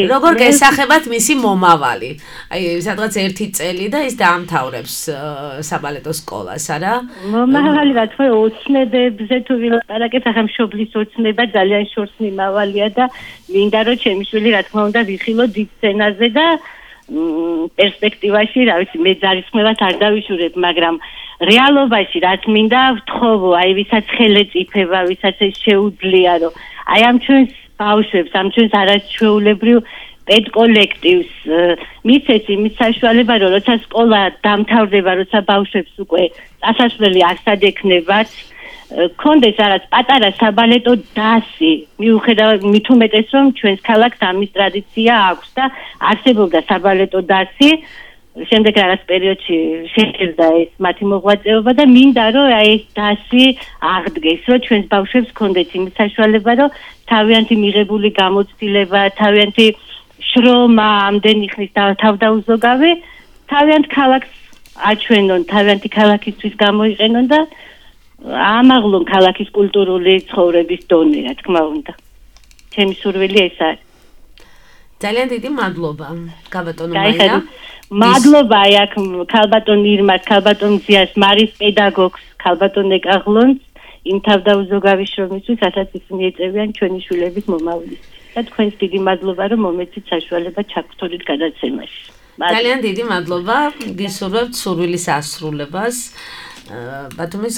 როგორ გესახებათ მისი მომავალი? აი, სადღაც 1 წელი და ის დაამთავრებს საბალეტო სკოლას, არა? მომავალი რა თქმა უნდა ოცნებებზე თუ ვილაპარაკეთ, ახლა მშობლის ოცნება ძალიან შორს მიმავალია და მინდა რომ ჩემი შვილი რა თქმა უნდა ვიხილო დიდ სცენაზე და პერსპექტივაში, რა ვიცი, მე ძალისხმევად არ დავიშურებ, მაგრამ რეალობაში რაც მინდა ვთხოვო, აი ვისაც ხელეწიფება, ვისაც ეს შეუძლია, რომ აი ამ ჩვენს ბავშვებს, ამ ჩვენს არაჩვეულებრივ პედკოლექტივს მისცეს იმის საშუალება, რომ როცა სკოლა დამთავრდება, როცა ბავშვებს უკვე წასასვლელი არსად ექნებათ, კონდეს რაღაც პატარა საბალეტო დასი, მიუხედავად მით უმეტეს რომ ჩვენს ქალაქს ამის ტრადიცია აქვს და არსებობდა საბალეტო დასი, შემდეგ რაღაც პერიოდში შეჭირდა ეს მათი მოღვაწეობა და მინდა რომ აი ეს დასი აღდგეს, რომ ჩვენს ბავშვებს კონდეთ იმის საშუალება, რომ თავიანთი მიღებული გამოცდილება, თავიანთი შრომა ამდენი ხნის თავდაუზოგავი, თავიანთ ქალაქს აჩვენონ, თავიანთი ქალაქისთვის გამოიყენონ და ამაღლონ ქალაქის კულტურული ცხოვრების დონე, რა თქმა უნდა. ჩემი სურვილი ეს არის. ძალიან დიდი მადლობა, ქალბატონო მაია. მადლობა აქ ქალბატონ ირმას, ქალბატონ ზიას, მარის პედაგოგს, ქალბატონ ეკაღლონს, იმ თავდაუზოგავი შრომისთვის, რასაც ისინი ეწევიან ჩვენი შვილების მომავლისთვის. და თქვენს დიდი მადლობა, რომ მომეცით საშუალება ჩაგვრთულით გადაცემაში. ძალიან დიდი მადლობა, გისურვებთ სურვილის ასრულებას. ბათუმის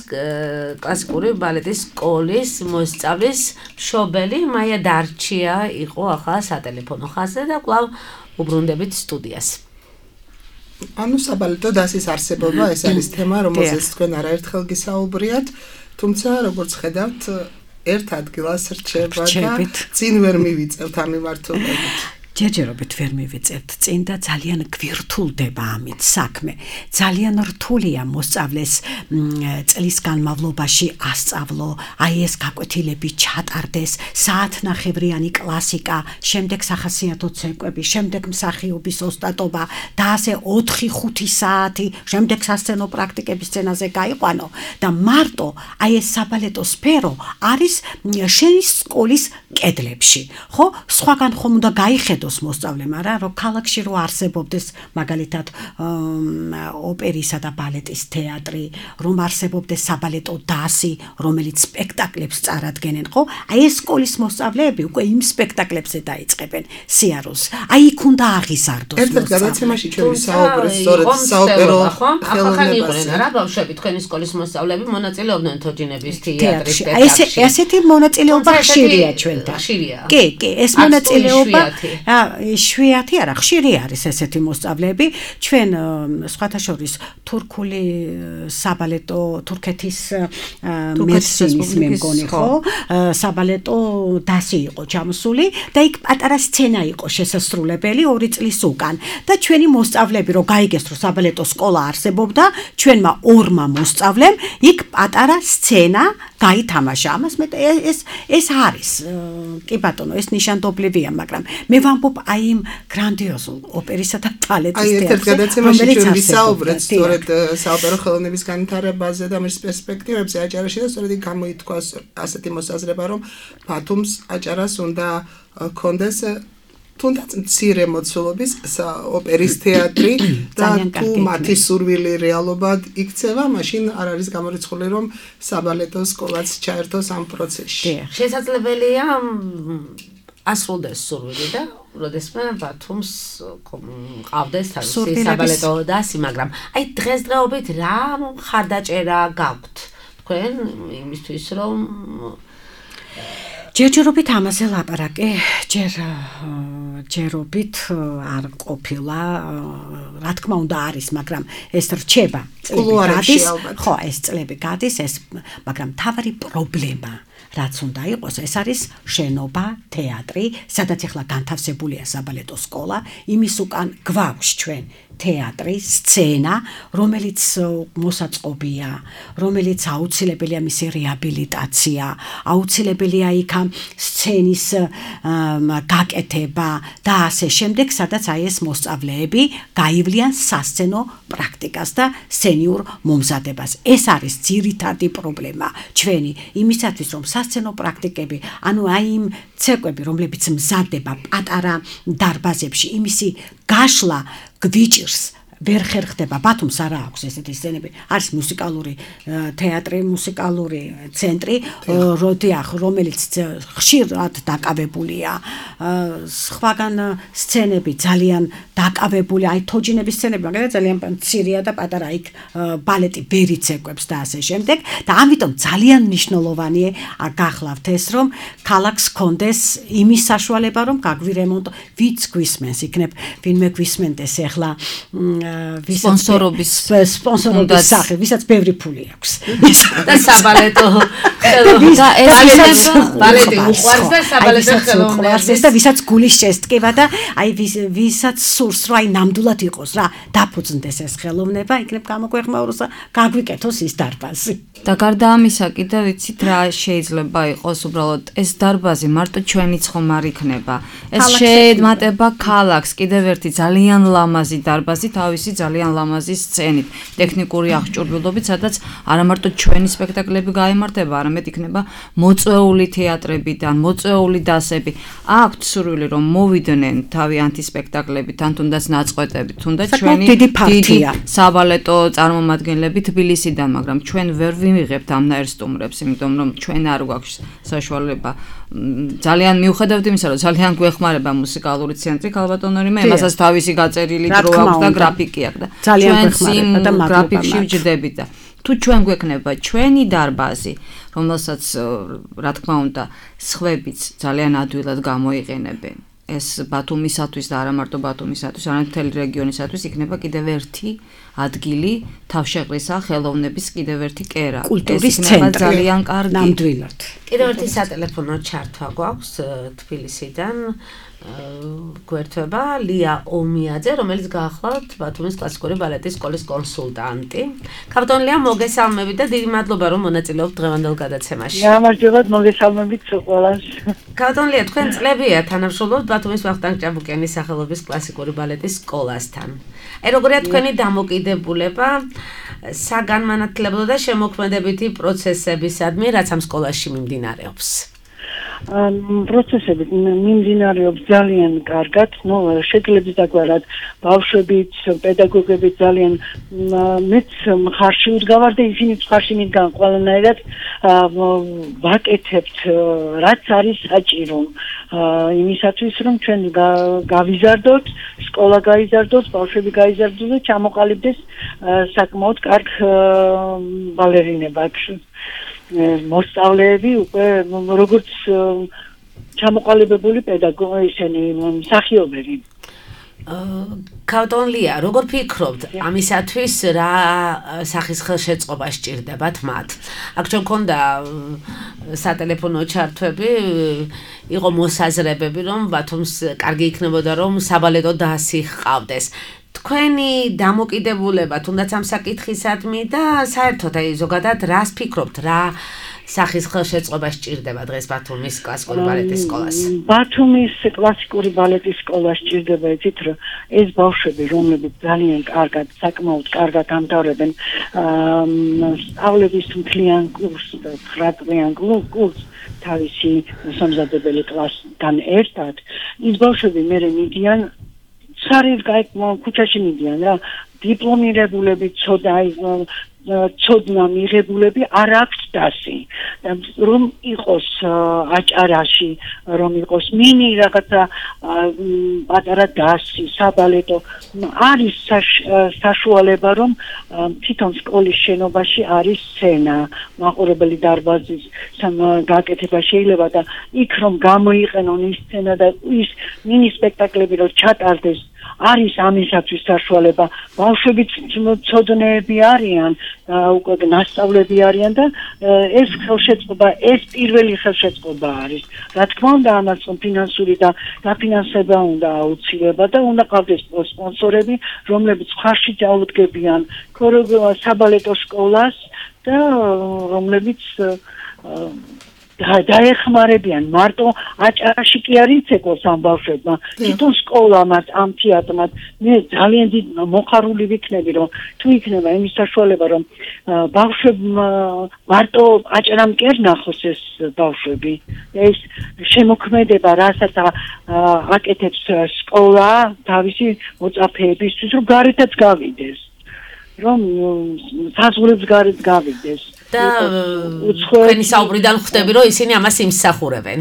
კლასიკური ბალეტის სკოლის მოსწავლის მშობელი მაია დარჩია იყო ახლა სატელეფონო ხაზზე და კვლავ უბრუნდებით სტუდიას. ანუ საბალეტო დასის არსებობა ეს არის თემა, რომელზეც თქვენ არაერთხელ გისაუბრიათ, თუმცა როგორც ხედავთ, ერთ ადგილას რჩება და წინ ვერ მივიწევთ ამ მიმართულებით. ჯერჯერობით ვერ მივიწევთ წინ და ძალიან გვირთულდება ამით საქმე. ძალიან რთულია მოსწავლეს წლის განმავლობაში ასწავლო, აი ეს გაკვეთილები ჩატარდეს, საათნახევრიანი კლასიკა, შემდეგ სახასიათო ცეკვები, შემდეგ მსახიობის ოსტატობა და ასე 4-5 საათი, შემდეგ სასცენო პრაქტიკების სცენაზე გაიყვანო და მარტო აი ეს საბალეტო სფერო არის შენი სკოლის კედლებში. ხო, სხვაგან ხომ უნდა გაიხედო მოსწავლემ არა რომ ქალაქში რო არსებობდეს მაგალითად ოპერისა და ბალეტის თეატრი, რომ არსებობდეს საბალეტო დასი, რომელიც სპექტაკლებს წარადგენენ, ხო? აი ეს სკოლის მოსწავლეები უკვე იმ სპექტაკლებზე დაიწყებენ სიარულს. აი იქ უნდა აღიზარდოს. ერთ-ერთ გადაცემაში ჩვენ ვისაუბრეთ სწორედ საოპერო ხელოვნებაზე. რა ბავშვები თქვენი სკოლის მოსწავლეები მონაწილეობდნენ თოჯინების თეატრის სპექტაკლში. ესეთი მონაწილეობა ხშირია ჩვენთან. კი, ეს მონაწილეობა შვიათი არა, ხშირი არის ესეთი მოსწავლეები. ჩვენ სხვათა შორის თურქული საბალეტო თურქეთის მერსინის მე მგონი ხო, საბალეტო დასი იყო ჩამოსული და იქ პატარა სცენა იყო შესასრულებელი 2 წლის უკან და ჩვენი მოსწავლეები რო გაიგეს რომ საბალეტო სკოლა არსებობდა, ჩვენმა 2 მოსწავლემ იქ პატარა სცენა გაითამაშა. ამას მე ეს არის კი ბატონო, ეს ნიშანდობლივია, მაგრამ მე ვამბობ აი იმ გრანდიოზულ ოპერისა და ბალეტის თეატრზე. აი ერთ გადაცემაში ჩვენ ვისაუბრეთ სწორედ საოპერო ხელოვნების განვითარებაზე და მის პერსპექტივებზე აჭარაში და სწორედ იქ გამოითქვა ასეთი მოსაზრება, რომ ბათუმს აჭარას უნდა ქონდეს თუნდაც მცირე მოცულობის ოპერის თეატრი და თუ მათი სურვილი რეალობად იქცევა, მაშინ არ არის გამორიცხული რომ საბალეტო სკოლაც ჩაერთოს ამ პროცესში. შესაძლებელია ასრულდეს სურვილი და როდესმე ბათუმს ყავდეს თავისი საბალეტო დასი, მაგრამ აი დღესდღეობით რა ხარდაჭერა გაქვთ თქვენ იმისთვის რომ ჯერჯერობით ამაზე ლაპარაკი, ჯერობით არ ყოფილა, რა თქმა უნდა არის, მაგრამ ეს რჩება წლები გადის, ხო, ეს წლები გადის, მაგრამ თავარი პრობლემა რაც უნდა იყოს, ეს არის შენობა, თეატრი, სადაც ახლა განთავსებულია საბალეტო სკოლა, იმის უკან გვაქვს ჩვენ თეატრი, სცენა, რომელიც მოსაწყობია, რომელიც აუცილებელია მისი რეაბილიტაცია, აუცილებელია იქა სცენის გაკეთება და ასე შემდეგ, სადაც აი ეს მოსწავლეები გაივლიან სასცენო პრაქტიკას და სცენიურ მომზადებას. ეს არის ძირითადი პრობლემა ჩვენი, იმისათვის რომ სასცენო პრაქტიკები, ანუ აი იმ ცეკვები, რომლებიც მზადდება პატარა დარბაზებში, იმისი გაშლა გვიჭირს ვერ ხერხდება. ბათუმს არა აქვს ესეთი სცენები. არის მუსიკალური თეატრი, მუსიკალური ცენტრი, რომელიც ხშირად დაკავებულია. სხვაგან სცენები ძალიან დაკავებული, აი თოჯინების სცენები, მაგალითად ძალიან მცირეა და პატარა იქ ბალეტი ბერი ცეკვებს და ასე შემდეგ და ამიტომ ძალიან მნიშვნელოვანია გახლავთ ეს რომ ქალაქს კონდეს იმის საშუალება რომ გაგვირემონტო, ვიც გვისმენს, იქნებ ვინმე გვისმენდეს ახლა სპონსორობის სახე, ვისაც ბევრი ფული აქვს. და საბალეტო და ეს ბალეტი უყვარს და საბალეტო ხელოვნებას და ვისაც გულის შესტკივა და აი ვისაც სურს რომ აი ნამდვილად იყოს რა, დაფუძნდეს ეს ხელოვნება, იქნებ გამოგვეხმაუროს და გაგვიკეთოს ის დარბაზი. და გარდა ამისა კიდევ ვიცით რა შეიძლება იყოს უბრალოდ ეს დარბაზი მარტო ჩვენიც ხომ არ იქნება. ეს შეემატება ქალაქს, კიდევ ერთი ძალიან ლამაზი დარბაზი, თავისი ძალიან ლამაზი სცენით, ტექნიკური აღჭურვილობით, სადაც არა მარტო ჩვენი სპექტაკლები გაემართება, არამედ იქნება მოწვეული თეატრებიდან, მოწვეული დასები. აქვთ სურვილი რომ მოვიდნენ თავი ანტისპექტაკლებით, ან თუნდაც ნაწყვეტებით, თუნდაც ჩვენი დიდი საბალეტო წარმომადგენლები თბილისიდან, მაგრამ ჩვენ ვერ ვიმიღებთ ამნაირ სტუმრებს, იმიტომ რომ ჩვენ არ გვაქვს საშუალება. ძალიან მიუხედავთ იმისა, რომ ძალიან გვეხმარება მუსიკალური ცენტრი ქალბატონური მე, მასაც თავისი გაწერილი დრო აქვს და გრაფიკი აქვს და ძალიან გვეხმარება და გრაფიკში ვჯდებით და თუ ჩვენ გვექნება ჩვენი დარბაზი, რომელსაც რა თქმა უნდა, სხვებიც ძალიან ადვილად გამოიყენებენ. ეს ბათუმისათვის და არა მარტო ბათუმისათვის, არამედ მთელი რეგიონისათვის იქნება კიდევ ერთი ადგილი თავშეყრისა ხელოვნების კიდევ ერთი კერა. კულტურის ცენტრი ძალიან კარგი. ნამდვილად. კიდევ ერთი სატელეფონო ჩართვა გვაქვს თბილისიდან. გვერდება ლია ომიაძე, რომელიც გაახლავთ ბათუმის კლასიკური ბალეტის სკოლის კონსულტანტი. ქავთონ ლია, მოგესალმებით და დიდი მადლობა რომ მონაწილეობთ დღევანდელ გადაცემაში. გამარჯობა, მოგესალმებით ყველას. ქავთონ ლია, თქვენ წლებია თანამშრომლობთ ბათუმის ვახტანგ ჭაბუკიანის სახელობის კლასიკური ბალეტის სკოლასთან. როგორია თქვენი დამოკიდებულება საგანმანათლებლო და შემოქმედებითი პროცესებისადმი, რაც ამ სკოლაში მიმდინარეობს? პროცესები მიმდინარეობს ძალიან კარგად, შეკლებიც დაგვარად ბავშვებიც, პედაგოგებიც ძალიან მეც მხარში ვდგავარ და ისინიც მხარში მიდგან ყველანაირად ვაკეთებთ რაც არის საჭირო იმისათვის რომ ჩვენ გავიზარდოთ, სკოლა გაიზარდოს, ბავშვები გაიზარდოს და ჩამოყალიბდეს საკმაოდ კარგ ბალერინებად. მოსწავლეები უკვე როგორც ჩამოყალიბებული პედაგოგი ისინი მსახიობები. ქავთონ ლია, როგორ ფიქრობთ ამისათვის რა სახის ხელშეწყობა სჭირდებათ მათ? აქ ჩვენ მქონდა სატელეფონო ჩართვები, იყო მოსაზრებები რომ ბათუმს კარგი იქნებოდა რომ საბალეტო დასი ჰყავდეს. თქვენი დამოკიდებულება თუნდაც ამ საკითხისადმი და საერთოდ ზოგადად რას ფიქრობთ, რა სახის ხელშეწყობა სჭირდება დღეს ბათუმის კლასიკური ბალეტის სკოლას? ბათუმის კლასიკური ბალეტის სკოლა სჭირდება იცით რომ ეს ბავშვები რომლებიც ძალიან კარგად, საკმაოდ კარგად ამთავრებენ სწავლების მთლიან კურსს, 9 წლიან კურსს თავისი მოსამზადებელი კლასთან ერთად, ის ბავშვები მერე მიდიან სარეს ქუჩაში მიდიან რა, დიპლომირებულები, ცოდნა მიღებულები არ აქვს დასი. რომ იყოს აჭარაში, რომ იყოს მინი რაღაცა პატარა დასი, საბალეტო, არის საშუალება რომ თვითონ სკოლის შენობაში არის სცენა, მაყურებელი დარბაზის გაკეთება შეიძლება და იქ რომ გამოიყენონ ის სცენა და ის მინი სპექტაკლები რომ ჩატარდეს, არის ამისათვის საშუალება. ბავშვებიც ცოდნეები არიან, უკვე ნასწავლები არიან და ეს ხელშეწყობა, ეს პირველი ხელშეწყობა არის. რა თქმა უნდა, ამას ფინანსური და დაფინანსება უნდა აუცილებლად და უნდა ყავდეს სპონსორები, რომლებიც ხარში დაუდგებიან საბალეტო სკოლას და რომლებიც დაეხმარებიან მარტო აჭარაში კი არ იცეკოს ამ ბავშვებმა, თვითონ სკოლამაც, ამ თეატრმაც. მე ძალიან დიდ მოხარული ვიქნები, რომ თუ იქნება იმის საშუალება, რომ ბავშვებმა მარტო აჭარამ კი არ ნახოს ეს ბავშვები. ეს შემოქმედება, რასაც აკეთებს სკოლა თავისი მოწაფეებისთვის, რომ გარეთაც გავიდეს. რომ საზღვრებს გარეთ გავიდეს. და თქვენი საუბრიდან ხვდები რომ ისინი ამას იმსახურებენ.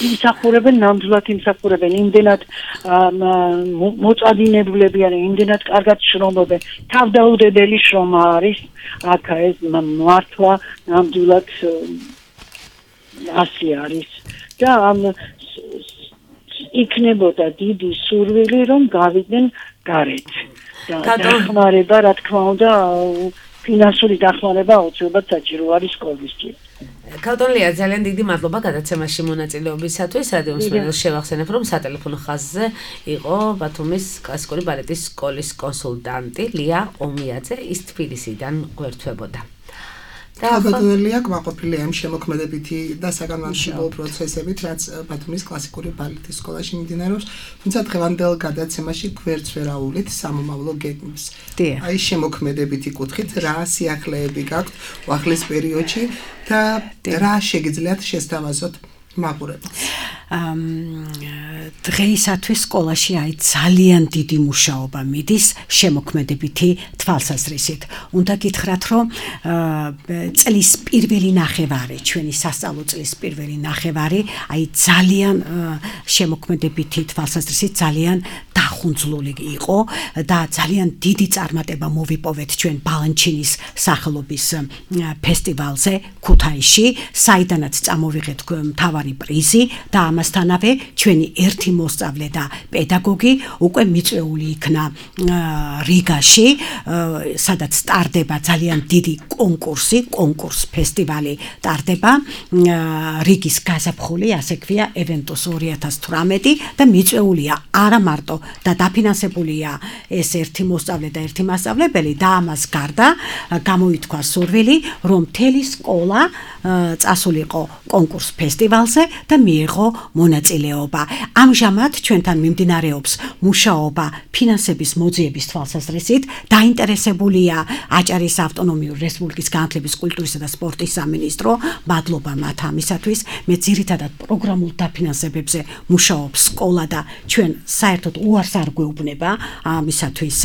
იმსახურებენ, ნამდვილად იმსახურებენ, იმდენად მოწადინებლები არიან, იმდენად კარგად შრომობენ. თავდაუდებელი შრომა არის, აქ ეს მართლა ნამდვილად ასე არის. და იქნებოდა დიდი სურვილი რომ გავიდნენ გარეთ. დახმარება, რა თქმა უნდა, ფინანსური დახმარება აუცილებლად საჭირო არის სკოლისთვის. ქავთონ ლია, ძალიან დიდი მადლობა გადაცემაში მონაწილეობისათვის. რადიო მსმენელს შევახსენებ, რომ სატელეფონო ხაზზე იყო ბათუმის კლასიკური ბალეტის სკოლის კონსულტანტი ლია ომიაძე, ის თბილისიდან გვერდებოდა. ალბათონელია კმაყოფილია ამ შემოქმედებითი და საგანმანათლებლო პროცესებით, რაც ბათუმის კლასიკური ბალეტის სკოლაში მიმდინარეობს, თუმცა დღევანდელ გადაცემაში გვერდს ვერ აუვლით სამომავლო გეგმებს. აი შემოქმედებითი კუთხით რა სიახლეები გაქვთ უახლეს პერიოდში და რა შეგიძლიათ შესთავაზოთ მაყურებელს? დღეისათვის სკოლაში ძალიან დიდი მუშაობა მიდის შემოქმედებითი თვალსაზრისით. უნდა გითხრათ, რომ წლის პირველი ნახევარი, ჩვენი სასწავლო წლის პირველი ნახევარი, ძალიან შემოქმედებითი თვალსაზრისით ძალიან დახუნძლული იყო და ძალიან დიდი წარმატება მოვიპოვეთ ჩვენ ბალანჩინის სახელობის ფესტივალზე ქუთაისში, საიდანაც წამოვიღეთ მთავარი პრიზი და ამასთანავე ჩვენი ერთი მოსწავლე და პედაგოგი უკვე მიწვეული იქნა რიგაში, სადაც სტარდება ძალიან დიდი კონკურს ფესტივალი ტარდება რიგის გაზაფხული, ასე ქვია Eventus 2018 და მიწვეულია არა მარტო და დაფინანსებულია ეს ერთი მოსწავლე და ერთი მასწავლებელი და ამას გარდა გამოითქვა სურვილი, რომ მთელი სკოლა წასულიყო კონკურს ფესტივალზე და მიიღო მონაწილეობა. ამჟამად ჩვენთან მიმდინარეობს მუშაობა ფინანსების მოძიების თვალსაზრისით, დაინტერესებულია აჭარის ავტონომიური რესპუბლიკის განათლების, კულტურისა და სპორტის სამინისტრო, მადლობა მათ ამისათვის. მე ძირითადად პროგრამულ დაფინანსებებზე მუშაობს სკოლა და ჩვენ საერთოდ უარს არ გვეუბნება ამისათვის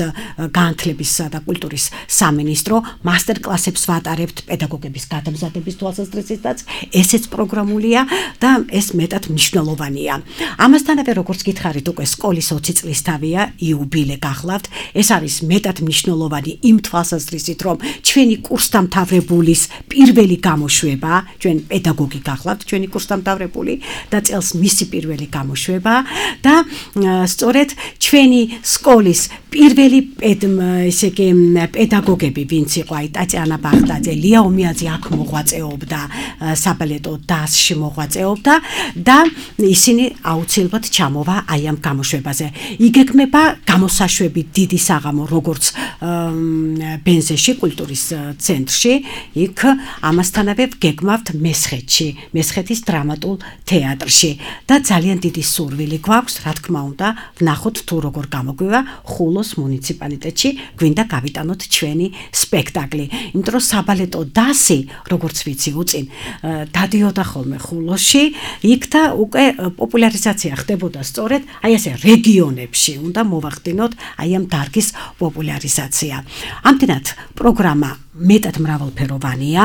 განათლებისა და კულტურის სამინისტრო, მასტერკლასებს ვატარებთ პედაგოგების გადამზადების თვალსაზრისითაც, ესეც პროგრამულია და ეს მეტად მნიშვნელოვანია. ამასთანავე, როგორც გითხარით, უკვე სკოლის 20 წლისთავია, იუბილე გახლავთ. ეს არის მეტად მნიშვნელოვანი იმ თვალსაზრისით, რომ ჩვენი კურსდამთავრებულის პირველი გამოშვება, ჩვენ პედაგოგი გახლავთ, ჩვენი კურსდამთავრებული და წელს მისი პირველი გამოშვება და სწორედ ჩვენი სკოლის პირველი პედაგოგები, ვინც იყო ტატიანა ბახტაძე, ლია ომიაძე აქ მოღვაწეობდა, საბალეტო დასში მოღვაწეობდა და ისინი აუცილებლად ჩამოვა აი ამ გამოშვებაზე. იგეგმება გამოსაშვები დიდი საღამო, როგორც ბენზეში, კულტურის ცენტრში, იქ ამასთანავე გეგმავთ მესხეთის დრამატულ თეატრში და ძალიან დიდი სურვილი გვაქვს, რა თქმა უნდა, ვნახოთ თუ როგორ გამოგვივა ხულოს მუნიციპალიტეტში, გვინდა გავიტანოთ ჩვენი სპექტაკლი. იმიტომ რომ საბალეტო დასი, როგორც ვიცი, უწინ დადიოდა ხოლმე ხულოში, იქ და უკვე პოპულარიზაცია ხდებოდა სწორედ აი ესე რეგიონებში, უნდა მოვახდინოთ აი ამ დარგის პოპულარიზაცია. ამდენად პროგრამა მეტად მრავალფეროვანია.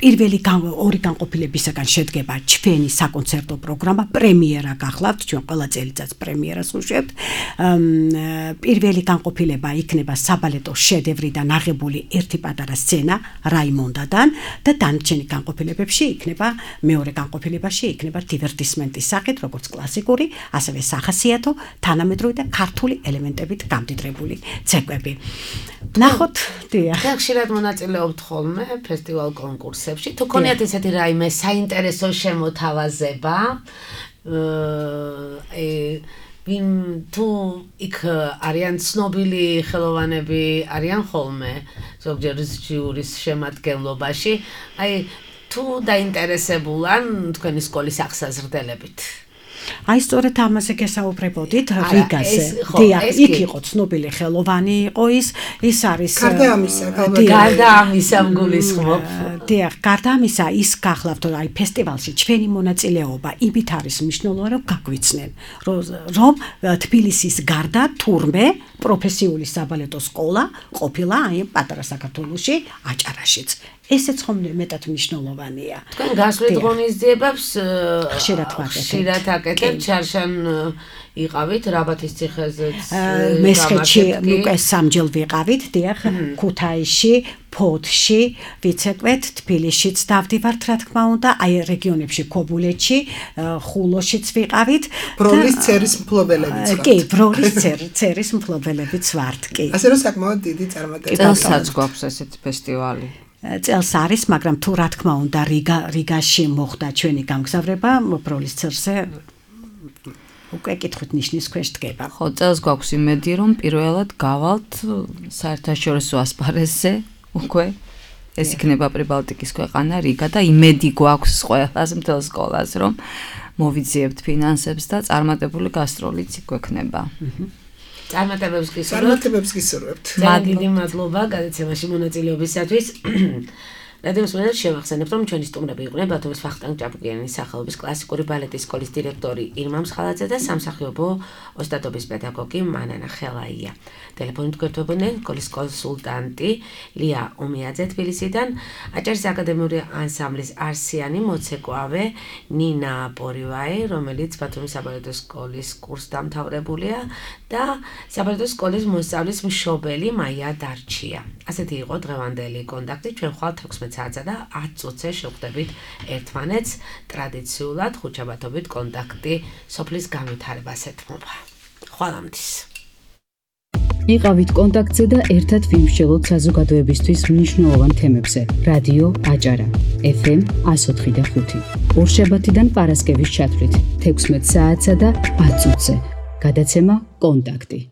პირველი ორი განყოფილებისაგან შედგება ჩვენი საკონცერტო პროგრამა, პრემიერა გახლავთ, ჩვენ ყველა წელიწადს პრემიერას ვუშვებთ. პირველი განყოფილება იქნება საბალეტო შედევრიდან აღებული ერთი პატარა სცენა რაიმონდადან და დანარჩენი განყოფილებებში იქნება მეორე განყოფილებაში იქნება დივერტისმენტის სახით, როგორც კლასიკური, ასევე სახასიათო, თანამედროვე და ქართული ელემენტებით გამდიდრებული ცეკვები. ნახოთ, დიახ. ხშირად მონაწილეობთ ხოლმე ფესტივალ კონკურსებში. თუ გქონიათ ესეთი რაიმე საინტერესო შემოთავაზება, თუ იქ არიან ცნობილი ხელოვანები, არიან ხოლმე ზოგჯერ ჟიურის შემადგენლობაში, აი თუ დაინტერესებულან თქვენი სკოლის აღსაზრდელებით. აი სწორედ ამაზე გესაუბრებოდით რიგაზე. დიახ, იქ იყო ცნობილი ხელოვანი იყო ის არის გარდა ამისა მგულისხმობ. დიახ, გარდა ამისა ის გახლავთ, აი ფესტივალში ჩვენი მონაწილეობა იმით არის მნიშვნელოვანი, რომ გაგვიცნენ, რომ თბილისის გარდა თურმე პროფესიული საბალეტო სკოლა ყოფილა აი პატარა საქართველოში, აჭარაშიც. ესეც ხომ მეტად მნიშვნელოვანია. თქვენ გასვლით ღონისძიებებს ხშირად აკეთებთ, შარშან იყავით რაბათის ციხეზეც, მესხეთში უკვე სამჯერ ვიყავით, დიახ, ქუთაისში, ფოთში, ვიცეკვეთ, თბილისშიც დავდივართ, რა თქმა უნდა, აი რეგიონებში, ქობულეთში, ხულოშიც ვიყავით. ბროლის ცერის მფლობელებიც ვართ. კი, ბროლის ცერის მფლობელებიც ვართ, კი. ასე რომ საკმაოდ დიდი წარმატება. წელსაც გვაქვს ესეთი ფესტივალი. წელს არის, მაგრამ თუ რა თქმა უნდა რიგაში მოხდა ჩვენი გამგზავრება, ბროლის ცერზე უკვე კითხვით ნიშნის ქვეშ დგება. ხო, წელს გვაქვს იმედი, რომ პირველად გავალთ საერთაშორისო ასპარეზზე, უკვე ეს იქნება პრიბალტიკის ქვეყანა რიგა და იმედი გვაქვს ყველას მთელ სკოლას, რომ მოვიძიებთ ფინანსებს და წარმატებული გასტროლიც გვექნება. წარმატებებს გისურვებთ. გისურვებთ. ძალიან დიდი მადლობა გადაცემაში მონაწილეობისათვის. რადიოს მენად შევახსენებთ, რომ ჩვენი სტუმრები იყვნენ ბათუმის ვახტანგ ჭაბუკიანის სახელობის კლასიკური ბალეტის სკოლის დირექტორი ირმა მსხალაძე და სამსახიობო ოსტატობის პედაგოგი მანანა ხელაია. ტელეფონით გვერდებოდნენ სკოლის კონსულტანტი ლია ომიაძე თბილისიდან, აჭარის აკადემიური ანსამბლის არსიანი მოცეკვავე ნინა პორივაი, რომელიც ბათუმის საბალეტო სკოლის კურსდამთავრებულია და საბალეტო სკოლის მოსწავლის მშობელი მაია დარჩია. ასეთი იყო დღევანდელი კონტაქტი. ჩვენ ხვალ 16 საათსა და 10 წუთზე შევხვდებით ერთმანეთს. ტრადიციულად ხუთშაბათობით კონტაქტი სოფლის განვითარებას ეთმობა. ხვალამდის. იყავით კონტაქტზე და ერთად ვიმსჯელოთ საზოგადოებისთვის მნიშვნელოვან თემებზე. რადიო აჭარა FM 104.5. ორშაბათიდან პარასკევის ჩათვლით 16 საათსა და 10 წუთზე. გადაცემა კონტაქტი.